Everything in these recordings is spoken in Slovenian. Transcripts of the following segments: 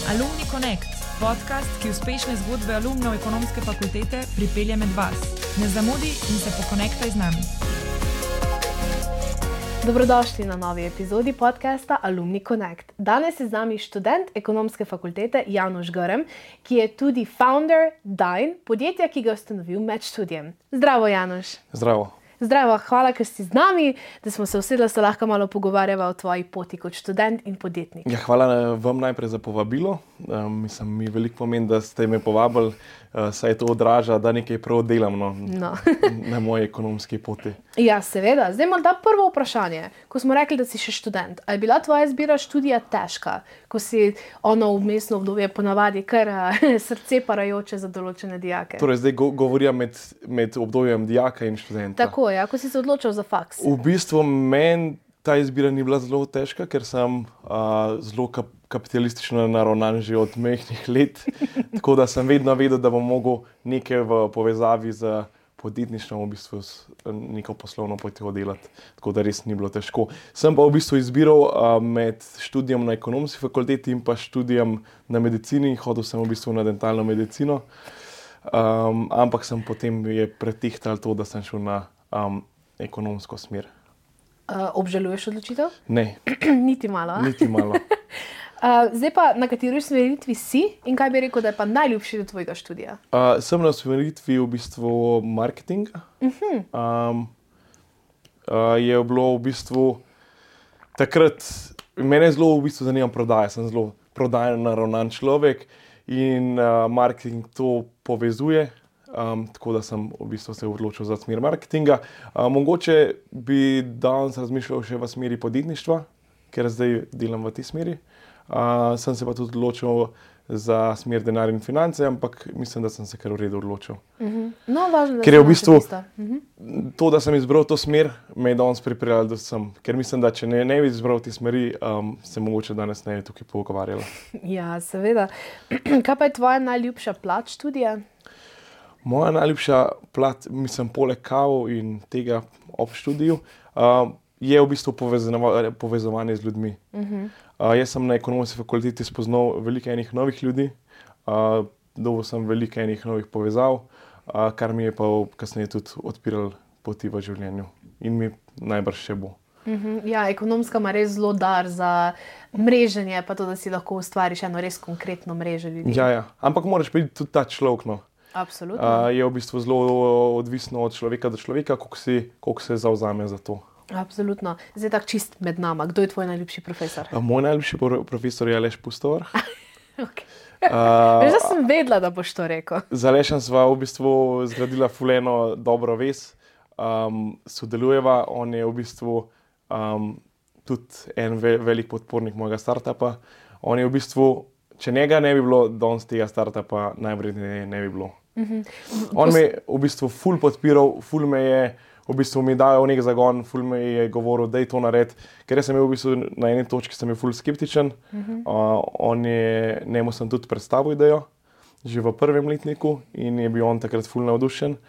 Alumni Connect, podcast, ki uspešne zgodbe alumnov ekonomske fakultete pripelje med vas. Ne zamudi in se pokonektaj z nami. Dobrodošli na novi epizodi podcasta Alumni Connect. Danes je z nami študent ekonomske fakultete Janoš Grm, ki je tudi founder Dine, podjetja, ki ga je ustanovil med študijem. Zdravo, Janoš. Zdravo. Zdravo, hvala, ker si z nami, da smo se usedli, da se lahko malo pogovarjava o tvoji poti kot študent in podjetnik. Ja, hvala vam najprej za povabilo. Mi veliko pomeni, da ste me povabili, saj to odraža, da nekaj prav delam na moji ekonomski poti. Ja, seveda. Zdaj morda prvo vprašanje. Ko smo rekli, da si še študent, ali je bila tvoja izbira študija težka, ko si vmesno obdobje ponavadi kar srce parajoče za določene dijake? Torej, zdaj govorim med obdobjem dijaka in študenta. Tako, ja, ko si se odločil za faks. V bistvu meni ta izbira ni bila zelo težka, ker sem zelo kapitalistično naravnan že od majhnih let, tako da sem vedno vedel, da bom mogel nekaj v povezavi z podjetništvom v bistvu neko poslovno potjo delati, tako da res ni bilo težko. Sem pa v bistvu izbiral med študijem na ekonomski fakulteti in pa študijem na medicini, hodil sem v bistvu na dentalno medicino, ampak sem potem je pretihtal to, da sem šel na ekonomsko smer. Obžaluješ odločitev? Ne. Niti malo. Niti malo. Zdaj pa, na kateri usmeritvi si in kaj bi rekel, da je pa najljubši del tvojega študija? Sem na usmeritvi v bistvu marketinga. Je bilo v bistvu takrat, mene zelo v bistvu zanima prodaja, sem zelo prodajno naravnan človek in marketing to povezuje. Tako da sem v bistvu se odločil za smer marketinga. Mogoče bi danes razmišljal še v smeri podjetništva, ker zdaj delam v tej smeri. Sem se pa tudi odločil za smer denar in finance, ampak mislim, da sem se kar v redu odločil. No, važno, da ker je v bistvu to, da sem izbral to smer, me je danes pripeljal do sem. Ker mislim, da če ne bi izbral te smeri, se mogoče danes ne bi tukaj pogovarjala. Ja, seveda. Kaj pa je tvoja najljubša plat študija? Moja najljubša plat, mislim, poleg kavov in tega ob študiju, je v bistvu povezovanje z ljudmi. Jaz sem na ekonomski fakulteti spoznal veliko enih novih ljudi, dobil sem veliko enih novih povezav, kar mi je pa kasneje tudi odpiral poti v življenju in mi najbrž še bo. Ja, ekonomska ima res zelo dar za mreženje, pa to, da si lahko ustvariš eno res konkretno mrežo ljudi. Ja, ampak moraš biti tudi ta človek, no. Absolutno. Je v bistvu zelo odvisno od človeka do človeka, koliko se zavzame za to. Absolutno. Zdaj tako čist med nama. Kdo je tvoj najljubši profesor? Moj najljubši profesor je Aleš Pustovar. Okay. Veš, da sem vedela, da boš to rekel. Z Alešem sva v bistvu zgradila ful eno dobro vez. Sodelujeva, on je v bistvu tudi en velik podpornik mojega startupa. On je v bistvu, če njega ne bi bilo, danes tega startupa najvredneje ne bi bilo. On me je v bistvu ful podpiral, ful me je v bistvu mi dajal nek zagon, ful me je govoril, da je to nared, ker sem v bistvu na eni točki sem ful skeptičen. Njemu sem tudi predstavil idejo, že v prvem letniku in je bil on takrat ful navdušen.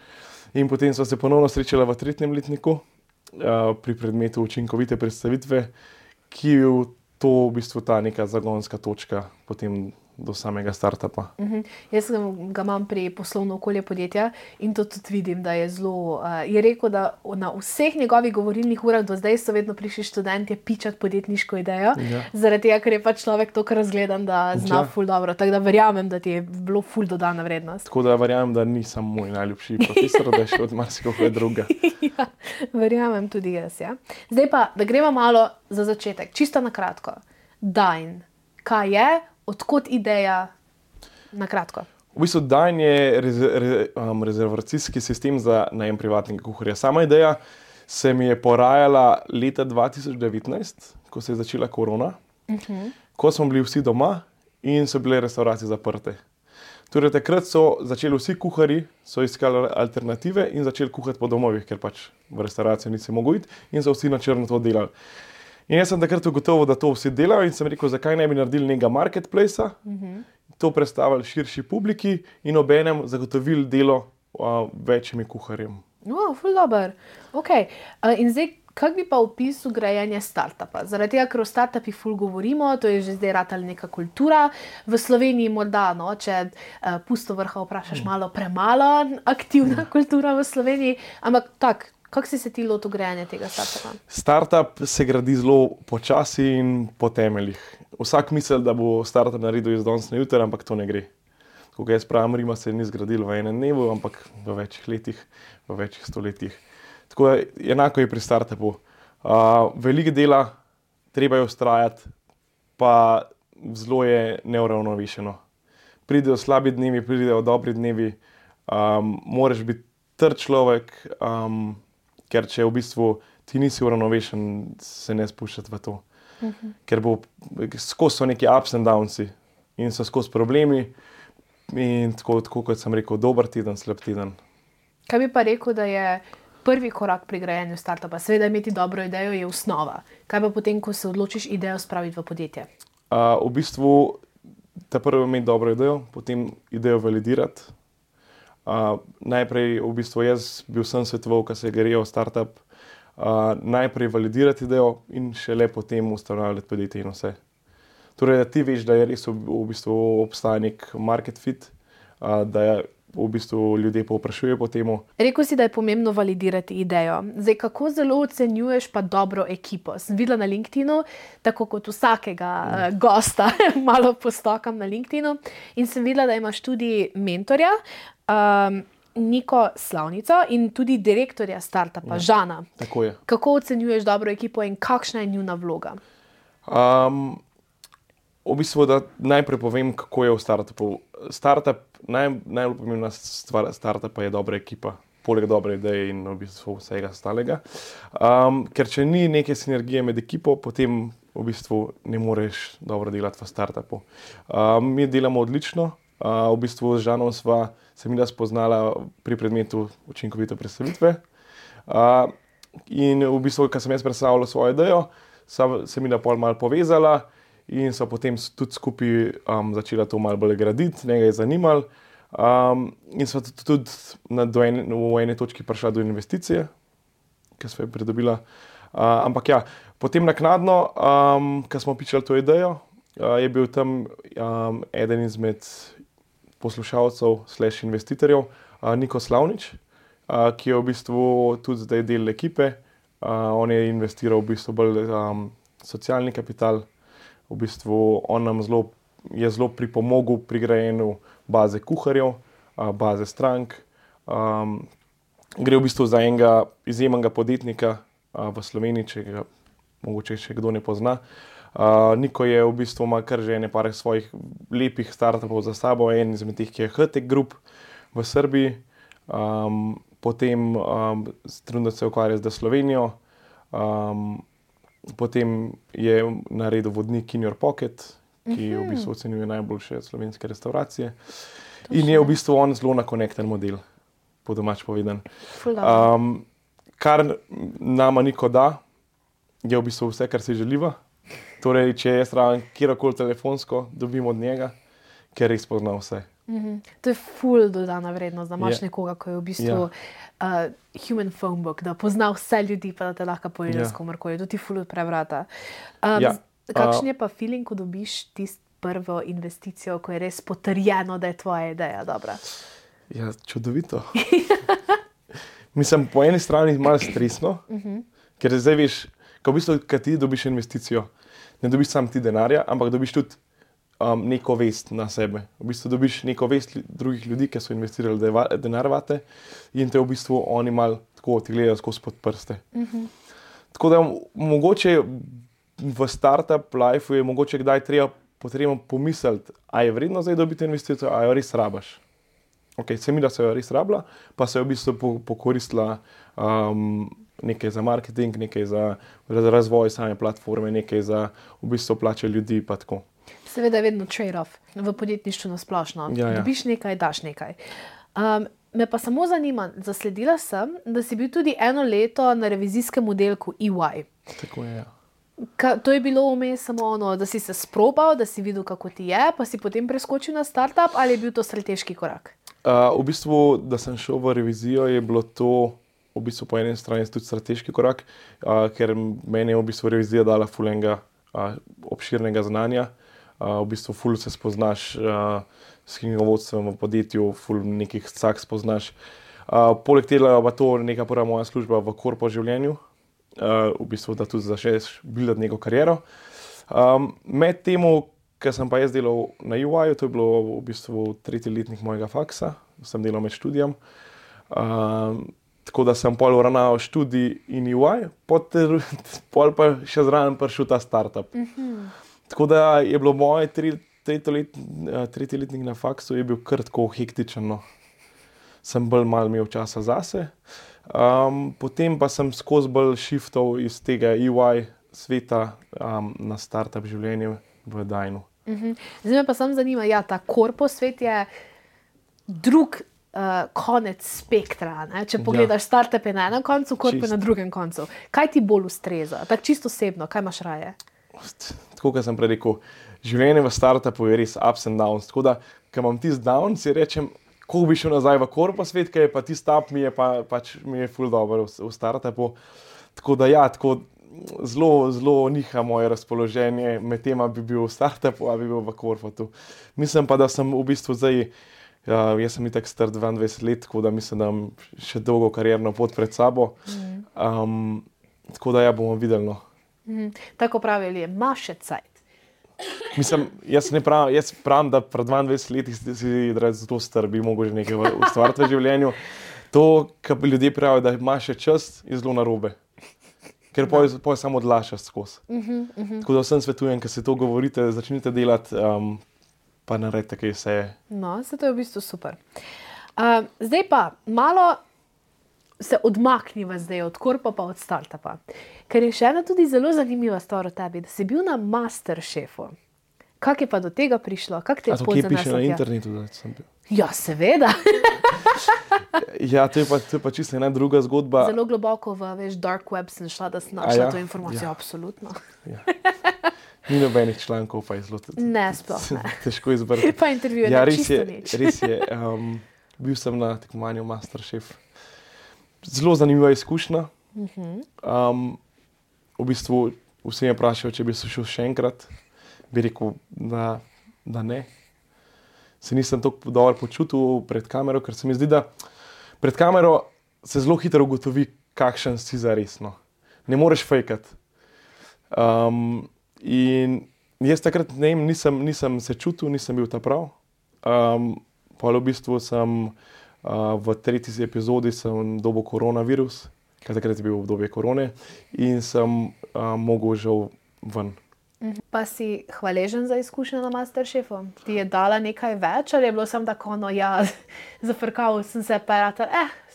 In potem sva se ponovno srečala v tretjem letniku pri predmetu učinkovite predstavitve, ki je to v bistvu ta neka zagonska točka potem do samega startupa. Jaz ga imam pri poslovno okolje podjetja in to tudi vidim, da je zelo, je rekel, da na vseh njegovih govorilnih urah do zdaj so vedno prišli študentje pičati podjetniško idejo, zaradi tega, ker je pa človek toliko razgledan, da zna ful dobro. Tako da verjamem, da ti je bilo ful dodana vrednost. Tako da verjamem, da nisem moj najljubši profesor, da je še od marsikoga druga. Ja, verjamem tudi jaz, ja. Zdaj pa, da gremo malo za začetek, čisto na kratko. Dine. Kaj je? Odkot ideja? Na kratko. V bistvu Dine je rezervacijski sistem za najem privatnega kuharja. Sama ideja se mi je porajala leta 2019, ko se je začela korona, ko smo bili vsi doma in so bile restauracije zaprte. Torej takrat so začeli vsi kuharji, so iskali alternative in začeli kuhati po domovih, ker pač v restauracijo nisi mogel iti in so vsi na črno to delali. In jaz sem takrat ugotovil, da to vsi delajo in sem rekel, zakaj ne bi naredili nekega marketplacea, to predstavili širši publiki in obenem zagotovili delo večjimi kuharjem. Ful dober. Okay. In zdaj, Kak bi pa opisal grajenje startupa? Zaradi tega, ker o startupih ful govorimo, to je že zdaj ratala neka kultura. V Sloveniji morda, no, če pusto vrha vprašaš, malo premalo aktivna kultura v Sloveniji, ampak tako, kako si se ti lotil grajanja tega startupa? Startup se gradi zelo počasi in po temeljih. Vsak misli, da bo startup naredil iz danes na jutri, ampak to ne gre. Ko jaz pravim, Rima se ni zgradil v enem dnevu, ampak v večjih letih, v večjih stoletjih. Tako je, enako je pri startupu. Veliko dela, treba je vztrajati, pa zelo je neuravnovešeno. Pridejo slabi dnevi, pridejo dobri dnevi, moraš biti trd človek, ker če v bistvu ti nisi uravnovešen, se ne spuščati v to. Ker skozi so neki ups and downsi in so skozi problemi in tako kot sem rekel, dober teden, slab teden. Kaj bi pa rekel, da je prvi korak pri grajenju startupa? Seveda imeti dobro idejo je osnova. Kaj pa potem, ko se odločiš idejo spraviti v podjetje? V bistvu ta prvo imeti dobro idejo, potem idejo validirati. Najprej v bistvu jaz bil sem svetoval, ko se je grejo startup, najprej validirati idejo in šele potem ustanavljati podjetje in vse. Torej, da ti veš, da je res v bistvu obstaja nek market fit, da je v bistvu ljudje povprašujejo po temu. Rekel si, da je pomembno validirati idejo. Zdaj, kako zelo ocenjuješ pa dobro ekipo? Sem videla na LinkedInu, tako kot vsakega gosta, malo postokam na LinkedInu in sem videla, da imaš tudi mentorja, Niko Slavnico in tudi direktorja startupa, Žana. Tako je. Kako ocenjuješ dobro ekipo in kakšna je njuna vloga? V bistvu, da najprej povem, kako je v startupu. Startup, najbolj pomembna stvar startupa je dobra ekipa, poleg dobre ideje in v bistvu vsega ostalega. Ker če ni neke sinergije med ekipo, potem v bistvu ne moreš dobro delati v startupu. Mi delamo odlično. V bistvu z Žanom se mi spoznala pri predmetu učinkovite predstavitve. In v bistvu, ko sem jaz predstavljal svojo idejo, se mi pol malo povezala in so potem tudi skupaj začela to malo bolj graditi, njega je zanimalo. In so tudi v eni točki prišla do investicije, ki smo jo pridobila. Ampak ja, potem naknadno, ko smo pičali to idejo, je bil tam eden izmed poslušalcev / investitorjev, Niko Slavnič, ki je v bistvu tudi zdaj del ekipe. On je investiral v bistvu bolj socialni kapital. V bistvu on nam je zelo pripomogel pri grajenju baze kuharjev, baze strank. Gre v bistvu za enega izjemnega podjetnika v Sloveniji, če ga mogoče še kdo ne pozna. Niko je v bistvu ima kar že par svojih lepih startupov za sabo, en izmed teh, ki je HTEC Group v Srbiji. Potem trenutno se ukvarja z Slovenijo. Potem je naredil vodnik In Your Pocket, ki v bistvu ocenjuje najboljše slovenske restauracije. In je v bistvu on zelo nakonekten model, po domač povedan. Kar nama Niko da, je v bistvu vse, kar si želiva. Torej, če jaz rabim kjerkoli telefonsko, dobim od njega, ker res pozna vse. To je ful dodana vrednost, da imaš nekoga, ko je v bistvu human phone book, da pozna vse ljudi, pa da te lahko povežeš s komorkoli. To ti ful odpre vrata. Kakšen je pa feeling, ko dobiš tisto prvo investicijo, ko je res potrjeno, da je tvoja ideja dobra? Ja, čudovito. Mislim, po eni strani malo stresno, ker zdaj veš, ko v bistvu, kad ti dobiš investicijo, ne dobiš sam ti denarja, ampak dobiš tudi neko vest na sebe. V bistvu dobiš neko vest drugih ljudi, ki so investirali denar vate in te v bistvu oni malo tako ti gledajo skozi pod prste. Tako da mogoče v startup life je mogoče kdaj potrebno pomisliti, a je vredno zdaj dobiti investicijo, a jo res rabaš. Ok, se mi da se jo res rabila, pa se je v bistvu pokoristila nekaj za marketing, nekaj za razvoj same platforme, nekaj za v bistvu plače ljudi pa tako. Seveda je vedno trade-off v podjetništvu nasplošno. Dobiš nekaj, daš nekaj. Me pa samo zanima, zasledila sem, da si bil tudi 1 leto na revizijskem oddelku EY. Tako je, ja. To je bilo vmes samo ono, da si se sprobal, da si videl, kako ti je, pa si potem preskočil na startup, ali je bil to strateški korak? V bistvu, da sem šel v revizijo, je bilo to v bistvu po eni strani tudi strateški korak, ker meni je v bistvu revizija dala ful enega obširnega znanja. V bistvu ful se spoznaš s knjigovodstvom v podjetju, ful nekih cak spoznaš. Poleg tega pa to neka prva moja služba v korpo življenju, v bistvu da tudi začneš buildati neko kariero. Med temu, ker sem pa jaz delal na UI-ju, to je bilo v bistvu 3. letnik mojega faksa, sem delal med študijem. Tako da sem pol uravnaval študij in UI, pol pa še zraven prišel ta startup. Tako da je bilo moje 3. letnik na faksu je bil kar tako hektičen. No. Sem bolj malo imel časa zase. Potem pa sem skozi bolj shiftal iz tega UI sveta na startup življenje v Dajnu. Zdaj me pa samo zanima, ta korpo svet je drug konec spektra. Ne? Če pogledaš startupe na enem koncu, korpo na drugem koncu. Kaj ti bolj ustreza? Tako čisto osebno, kaj imaš raje? Tako, kot sem prej rekel, življenje v startupu je res ups and downs. Tako da, ko imam tisti down, si rečem, ko bi šel nazaj v korpo svet, ker je pa tisti up, mi je ful dobro v startupu. Tako da tako zelo niha moje razpoloženje med tem, bi bil v startupu, bi bil v korpotu. Mislim pa, da sem v bistvu zdaj, jaz sem itak star 22 let, tako da mislim, da imam še dolgo karierno pot pred sabo. Tako da bomo videli. No. Tako pravijo, imaš še cajt. Mislim, jaz pravim, da pred 22 leti si zelo star, bi mogel že nekaj ustvariti v življenju. To, kar ljudje pravijo, da imaš še čas, je zelo narobe. Ker poj samo odlašaš skozi. Tako da vsem svetujem, ker se to govorite, začnite delati, pa naredite, kaj se je. No, se to je v bistvu super. Zdaj pa malo se odmakniva zdaj od korpa pa od startupa. Ker je še ena tudi zelo zanimiva stvar o tebi, da si bil na Masterchefu. Kako je pa do tega prišlo? Kako te je pot zaneslo? A to kje piše na internetu, da sem bil? Ja, seveda. To je pa čisto ena druga zgodba. Zelo globoko v dark web sem šla, da sem našla to informacijo, absolutno. Ja. Ni nobenih člankov, pa je zelo sploh ne. Težko izbrati. Pa intervjuje čisto nič. Res je. Bil sem na tekmovanju Masterchef. Zelo zanimiva izkušnja. V bistvu vsi me vprašajo, če bi se šel še enkrat. Bi rekel, da ne. Se nisem tako dobro počutil pred kamero, ker se mi zdi, da pred kamero se zelo hitro ugotovi, kakšen si zaresno. Ne moreš fejkati. In jaz takrat nisem se čutil, nisem bil ta prav. Pa v bistvu sem v 3. epizodi sem dobil koronavirus, ker takrat je bil obdobje korone in sem mogel žal ven. Pa si hvaležen za izkušnjo na Masterchefu? Ti je dala nekaj več ali je bilo samo tako, zafrkal sem se pa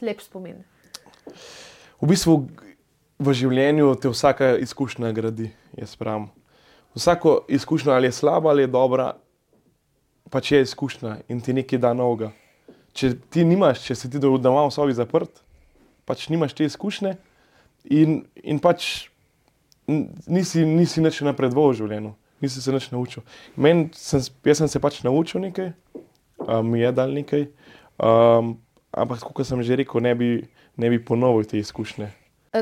lep spomin? V bistvu v življenju te vsaka izkušnja gradi, jaz pravim. Vsako izkušnjo ali je slaba ali je dobra, pač je izkušnja in ti nekaj da novega. Če ti nimaš, če si ti doma v sobi zaprt, pač nimaš te izkušnje in pač nisi nič napredoval v življenju, nisi se nič naučil. Jaz sem se pač naučil nekaj, mi je dal nekaj, ampak tako, kot sem že rekel, ne bi ponovil te izkušnje.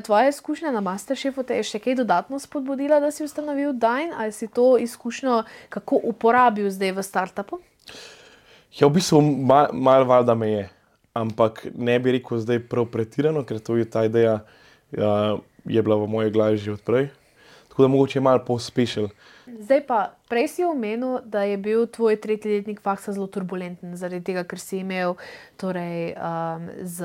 Tvoja izkušnja na Masterchefu te je še kaj dodatno spodbudila, da si ustanovil Dajn, ali si to izkušnjo kako uporabil zdaj v startupu? Ja, v bistvu malo valjda me je, ampak ne bi rekel zdaj prav pretirano, ker to je ta ideja je bila v moji glavi že od prej. Tako da mogoče je malo pospešil. Zdaj pa, prej si omenil, da je bil tvoj 3. letnik faksa zelo turbulenten, zaradi tega, ker si imel z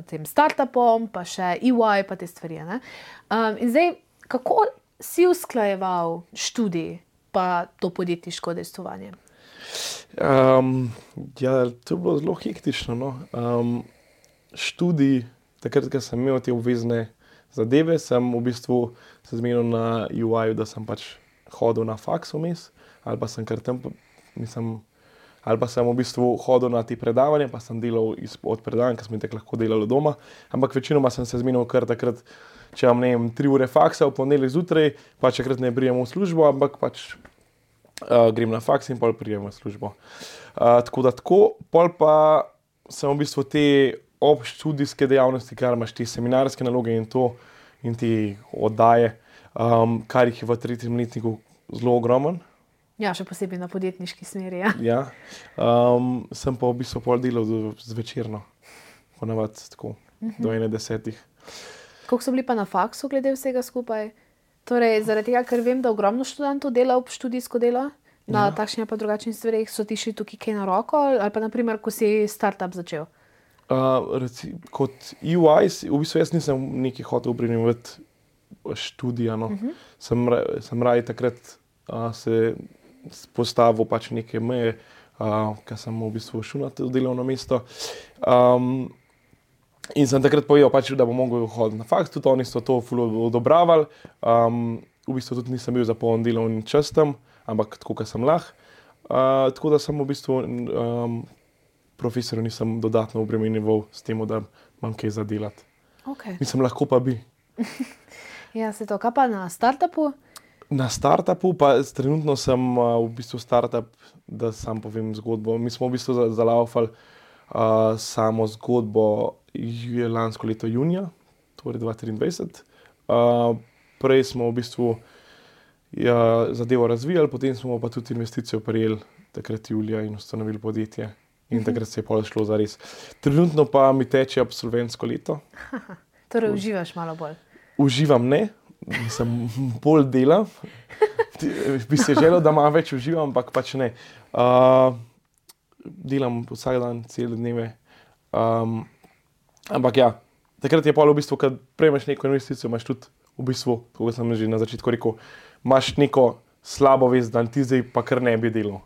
tem startupom, pa še EY, pa te stvari. In zdaj, kako si usklajeval študij pa to podjetniško udejstvovanje? To je bilo zelo hektično. No. Študij, takrat, ko sem imel te obvezne zadeve, sem v bistvu se zmenil na UI-ju, da sem pač hodil na faks vmes, ali pa sem kar tam, ali pa sem v bistvu hodil na te predavanja, pa sem delal od predavanj, ker smo tako lahko delali doma. Ampak večinoma sem se zmenil kar takrat, če imam 3 ure faksa v ponedeljek zjutraj, pač takrat ne prijem v službo, ampak pač grem na faks in pol prijem v službo. Tako, pol pa sem v bistvu te ob študijske dejavnosti, kar imaš te seminarske naloge in te oddaje, kar jih je v 3. letniku zelo ogromen. Ja, še posebej na podjetniški smeri. Ja. Ja. Sem pa v bistvu pol delal zvečerno, ponavadi tako, do 10. Koliko so bili pa na faksu glede vsega skupaj? Torej, zaradi tega, ker vem, da ogromno študentov dela ob študijsko delo, na takšnih pa drugačnih stvareh, so ti šli tukaj kaj na roko, ali pa naprimer, ko si startup začel? Kot EY, v bistvu jaz nisem nekaj hotel obrniti študija. No. Sem raje takrat se postavil pač neke meje, ker sem v bistvu šel na to delovno mesto. In sem takrat povedal, pač, da bom mogel hoditi na faks, tudi oni so to ful odobravali. V bistvu tudi nisem bil za poln delovni čas tam, ampak tako, kot sem lahko. Tako da sem v bistvu profesorju nisem dodatno obremenjeval s tem, da imam kaj za delati. Okay. Mislim, lahko pa bi. Ja, se to, kaj pa na startupu? Na startupu pa trenutno sem v bistvu startup, da sam povem zgodbo. Mi smo v bistvu zalaufali samo zgodbo lansko leto junija, torej 2023. Prej smo v bistvu zadevo razvijali, potem smo pa tudi investicijo prijeli takrat julija in ustanovili podjetje. In takrat se je pol šlo za res. Trenutno pa mi teče absolventsko leto. Torej uživaš malo bolj? Uživam ne, sem bolj delam. Bi se želel, da malo več uživam, ampak pač ne. Delam vsak dan, cele dneve. Ampak ja, takrat je pol v bistvu, kad prejmeš neko investicijo, imaš tudi v bistvu, kako sem že na začetku rekel, imaš neko slabo vest, da ti zdaj pa kar ne bi delal.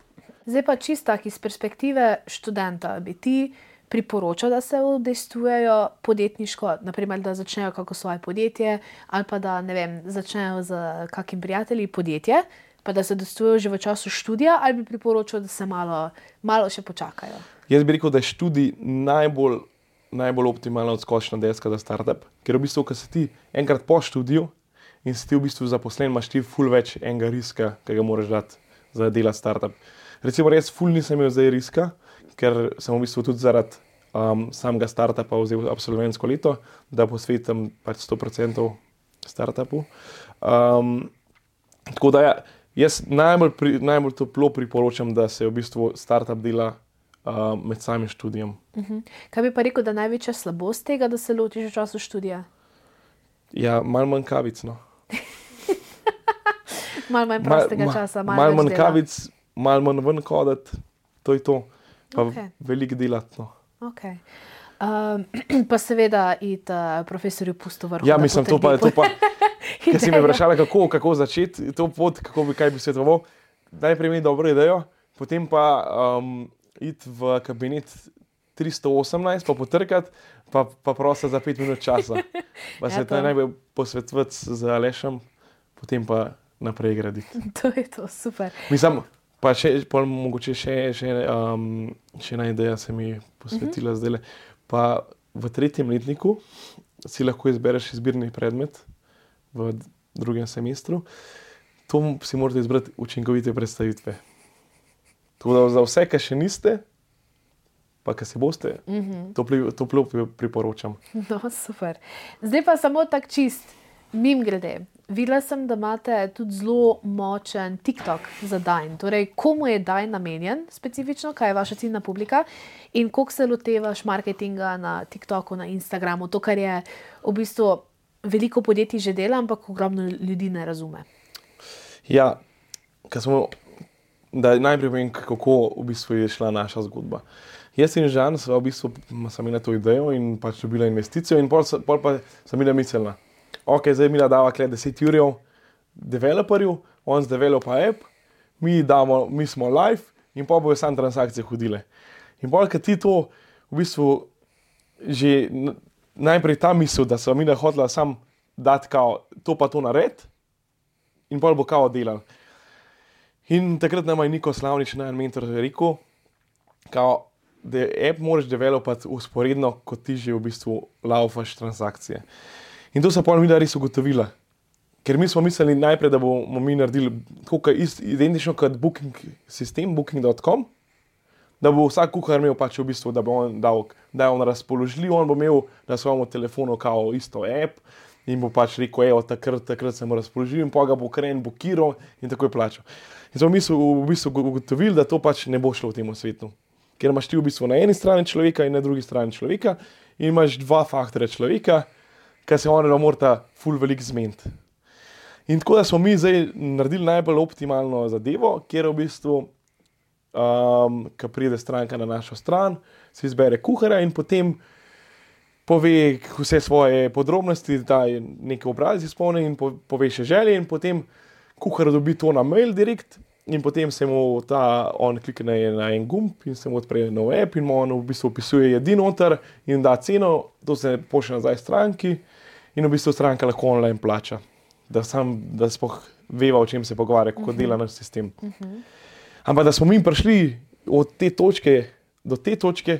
Zdaj pa čisto iz perspektive študenta, bi ti priporočal, da se udejstvujejo podjetniško, naprimer, da začnejo kako svoje podjetje, ali pa da, ne vem, začnejo z kakim prijatelji podjetje, pa da se udejstvujejo že v času študija, ali bi priporočal, da se malo še počakajo? Jaz bi rekel, da je študij najbolj optimalna odskočna deska za startup, ker v bistvu, ko si ti enkrat po študiju in si ti v bistvu zaposlen, imaš ti ful več enega riska, ki ga moraš dati za delati startup. Recimo, res ful nisem imel zdaj riska, ker sem v bistvu tudi zaradi samega startupa vzel absolventsko leto, da posvetim pač 100% startupu. Tako da jaz najbolj toplo priporočam, da se v bistvu startup dela med samim študijem. Kaj bi pa rekel, da največja slabost tega, da se lotiš v času študija? Ja, malo manj kavic, no. Malo manj prostega časa, malo manj kavic, malo manj ven hoditi, to je to. Pa veliko delati, no. Okay. Pa seveda iti profesorju pusto vrhu. Ja, mislim, to pa ker si me vprašala, kako začeti to pot, kaj bi svetoval. Najprej imeti dobro idejo, potem pa iti v kabinet 318, pa potrkati, pa prositi za 5 minut časa. Pa se najbolj posvetovati z Alešem, potem pa naprej graditi. To je to, super. Mislim, pa mogoče še ena ideja se mi posvetila zdajle. Pa v 3. letniku si lahko izbereš izbirni predmet v 2. semestru. To si morate izbrati učinkovite predstavitve. Tako da za vse, ki še niste, pa ki se boste, toplo priporočam. No, super. Zdaj pa samo tak čist, mimogrede. Videla sem, da imate tudi zelo močen TikTok za Dine. Torej, komu je Dine namenjen specifično, kaj je vaša ciljna publika in koliko se lotevaš marketinga na TikToku, na Instagramu, to, kar je v bistvu veliko podjetij že dela, ampak ogromno ljudi ne razume. Ja, da najprej povem, kako v bistvu je šla naša zgodba. Jaz in Žan sva v bistvu imela to idejo in pač dobila investicijo in pol pa sem bila mislila, ok, zdaj mi dava 10 jurjev developerju, on zdevelopa app, mi smo live in pa bojo sam transakcije hodile. In pol, kad ti to v bistvu že najprej ta misel, da sva mi hotela sam dati kao to pa to nared in pol bo kao delal. In takrat nama je Niko Slavnič, najen mentor, rekel, kao, da app moraš developati usporedno, kot ti že v bistvu laufaš transakcije. In to so pol mi res ugotovila. Ker mi smo mislili najprej, da bomo mi naredili tako identično kot booking sistem, booking.com, da bo vsak kuhar imel pač v bistvu, da bo on dal, da je on razpoložljiv, on bo imel na svojem telefonu kao isto app in bo pač rekel, evo, takrat sem razpoložljiv in pa ga bo kren, bo kiral in tako je plačal. In smo v bistvu ugotovili, da to pač ne bo šlo v tem svetu. Ker imaš ti v bistvu na eni strani človeka in na drugi strani človeka in imaš dva faktorja človeka, ki se ona morata ful veliko zmeniti. In tako da smo mi zdaj naredili najbolj optimalno zadevo, kjer v bistvu, ko pride stranka na našo stran, se izbere kuharja in potem pove vse svoje podrobnosti, da je nekaj obraz izpolni in pove še želje in potem kuhar dobi to na mail direkt in potem se mu on klikne na en gumb in se mu odpre nov app in mu on v bistvu opisuje jedi noter in da ceno, to se pošlje nazaj stranki in v bistvu stranka lahko online plača, da sploh veva, o čem se pogovarja, kako dela naš sistem. Ampak da smo mi prišli od te točke do te točke,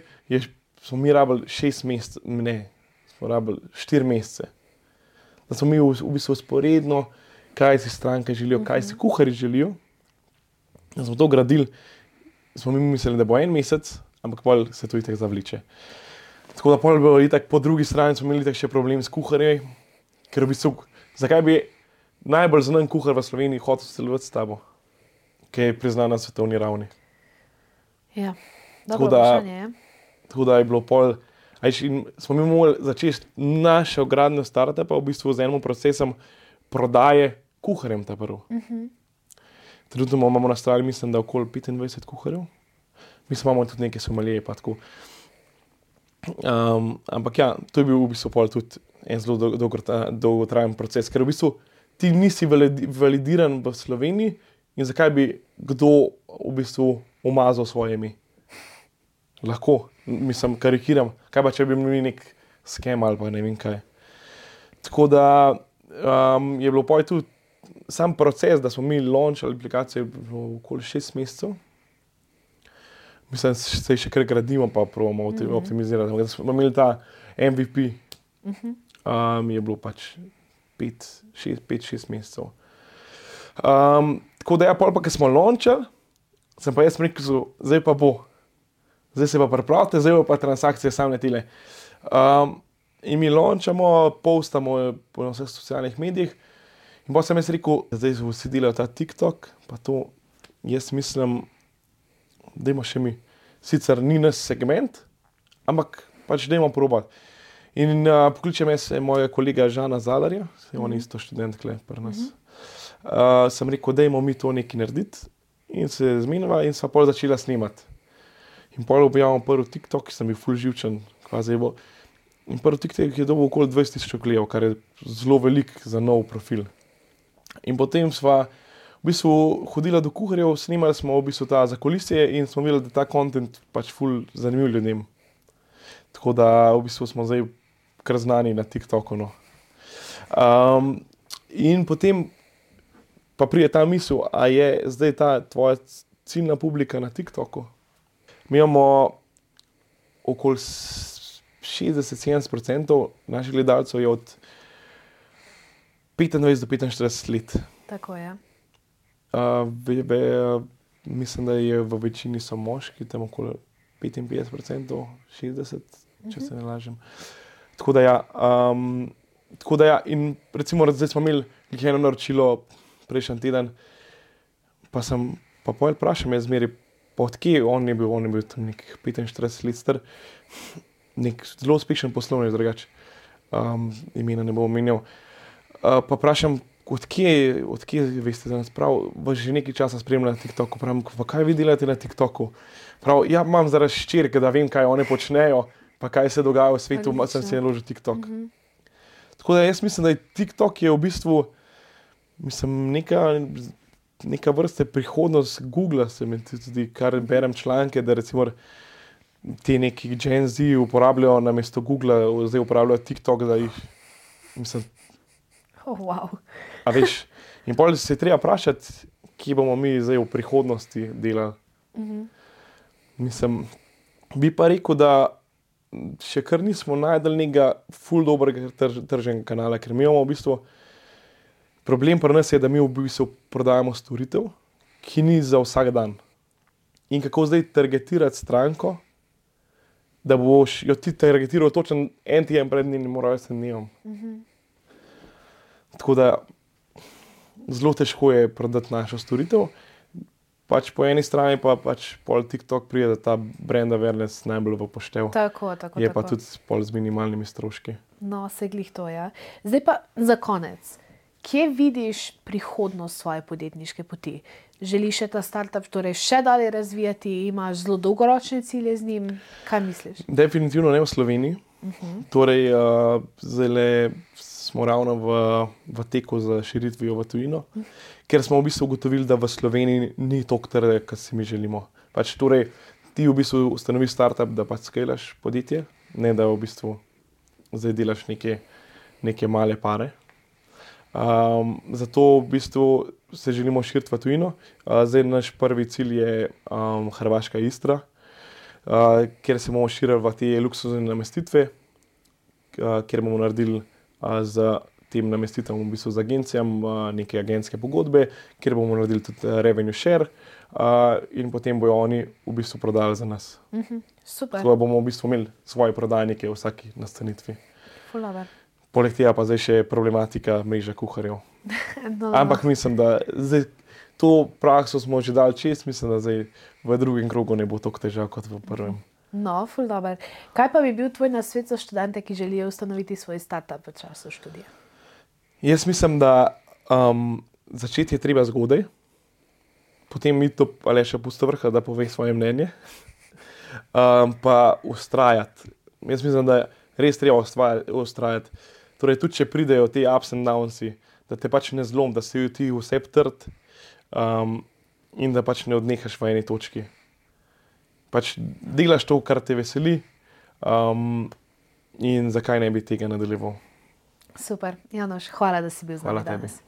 smo mi rabili 6 mesecev, ne, smo rabili 4 mesece. Da smo mi v bistvu sporedno, kaj si stranke želijo, kaj si kuharji želijo. Da smo to gradili, smo mi mislili, da bo 1 mesec, ampak pol se to itak zavliče. Tako da pol bo itak po drugi strani smo imeli itak še problem s kuharji, ker v bistvu, zakaj bi najbolj znan kuhar v Sloveniji hotel sodelovati s tabo, ki je priznan na svetovni ravni. Ja, dobro vprašanje je. Tako da je bilo pol, smo mi morali začeti našo gradnjo startupa v bistvu z enim procesom prodaje kuharjem ta prvo. Trenutno imamo na strani, mislim, da okoli 25 kuharjev. Mislim, imamo tudi neke somalije pa tako. Ampak ja, to je bil v bistvu pol tudi en zelo dolgotrajen proces, ker v bistvu ti nisi validiran v Sloveniji in zakaj bi kdo v bistvu umazal svoje ime. Lahko, mislim, karikiram, kaj pa če bi imeli nek skem ali pa ne vem kaj. Tako da je bilo poj tudi sam proces, da smo mi launchali aplikacijo okoli 6 mesecev. Mislim, da se še kar gradimo, pa probamo optimizirati. Da smo imeli ta MVP, je bilo pač 5-6 mesecev. Tako da ja, pol pa, ko smo launchali, sem pa jaz rekel, zdaj pa bo. Zdaj se pa pripravite, zdaj pa transakcije same tile. In mi launchamo, postamo po vseh socialnih medijih in pa sem jaz rekel, zdaj vsi delajo ta TikTok, pa to jaz mislim, dajmo še mi. Sicer ni naš segment, ampak pač dajmo probati. In pokličem jaz mojega kolega Žana Zalarja, on je isto študent tukaj pri nas. Sem rekel, dajmo mi to nekaj narediti in se zmenila in sva pol začela snemati. In pol objavljamo prvi TikTok, ki sem bil ful živčen, kvazi bo. In prvi TikTok je dobil okoli 20,000 ogledov, kar je zelo velik za nov profil. In potem sva v bistvu hodila do kuharjev, snemali smo v bistvu ta zakulisje in smo videli, da ta content pač ful zanimiv ljudem. Tako da v bistvu smo zdaj kar znani na TikToku, no. In potem pa pride ta misel, a je zdaj ta tvoja ciljna publika na TikToku? Mi imamo okoli 60-70% naših gledalcev je od 25 do 45 let. Tako je. Mislim, da je v večini so moški, tam okoli 55%, 60%, če se ne lažem. Tako da ja, in recimo zdaj smo imeli eno naročilo prejšnji teden, pa pol vprašam jaz zmeri, pa odkje on je bil tam nekih 45 let star, nek zelo uspešen poslovnež drugače, imena ne bom omenjal. Pa vprašam, odkje veste za nas prav, vas že nekaj časa spremljam na TikToku, pravim, pa kaj vi delate na TikToku? Prav, ja, imam zaradi hčerke, da vem, kaj one počnejo, pa kaj se dogaja v svetu, sem si naložil TikTok. Tako da jaz mislim, da je TikTok je v bistvu, mislim, neka vrste prihodnost Google, se mi tudi, kar berem članke, da recimo ti neki Gen Z uporabljajo namesto Google, zdaj uporabljajo TikTok, da jih, mislim... Wow. A veš, in potem se je treba vprašati, kje bomo mi zdaj v prihodnosti delali. Mislim, bi pa rekel, da še kar nismo najdeli nekega ful dobrega tržnega kanala, ker mi imamo v bistvu problem pri nas je, da mi v bistvu prodajamo storitev, ki ni za vsak dan. in kako zdaj targetirati stranko, da boš jo ti targetiral točno en teden pred njenim rojstnim dnevom. Tako da zelo težko je prodati našo storitev. Pač po eni strani pa pač pol TikTok pride, da ta brand awareness najbolj v poštev. Tako. Je pa tudi pol z minimalnimi stroški. No, se glih to, ja. Zdaj pa za konec. Kje vidiš prihodnost svoje podjetniške poti? Želiš še ta startup torej še dalje razvijati? Imaš zelo dolgoročne cilje z njim? Kaj misliš? Definitivno ne v Sloveniji. Torej, zdaj smo ravno v teku za širitvijo v tujino, ker smo v bistvu ugotovili, da v Sloveniji ni toliko trga, kot si mi želimo. Pač torej, ti v bistvu ustanoviš startup, da pač skalaš podjetje, ne da v bistvu zdaj delaš neke male pare. Zato v bistvu se želimo širiti v tujino. Zdaj naš prvi cilj je Hrvaška Istra, kjer se bomo širili v te luksuzne namestitve, kjer bomo naredili z tem namestitvam v bistvu z agencijami neke agentske pogodbe, kjer bomo naredili tudi revenue share in potem bojo oni v bistvu prodali za nas. Super. Tako da bomo v bistvu imeli svoje prodajnike v vsaki nastanitvi. Fulaver. Poleg tega pa zdaj še problematika mreža kuharjev. No. Ampak mislim, da zdaj to prakso smo že dali čez, mislim, da zdaj v drugem krogu ne bo toliko težav kot v prvem. No, ful dober. Kaj pa bi bil tvoj nasvet za študente, ki želijo ustanoviti svoj startup v času študija? Jaz mislim, da začeti je treba zgodaj, potem mi to Aleša Pustovrha, da pove svoje mnenje, pa ustrajati. Jaz mislim, da res treba ustrajati. Torej, tudi če pridejo te ups and downsi, da te pač ne zlom, da si ti vse trd in da pač ne odnehaš v eni točki. Pač delaš to, kar te veseli in zakaj ne bi tega nadaljeval. Super. Janoš, hvala, da si bil z nami danes. Hvala tebi.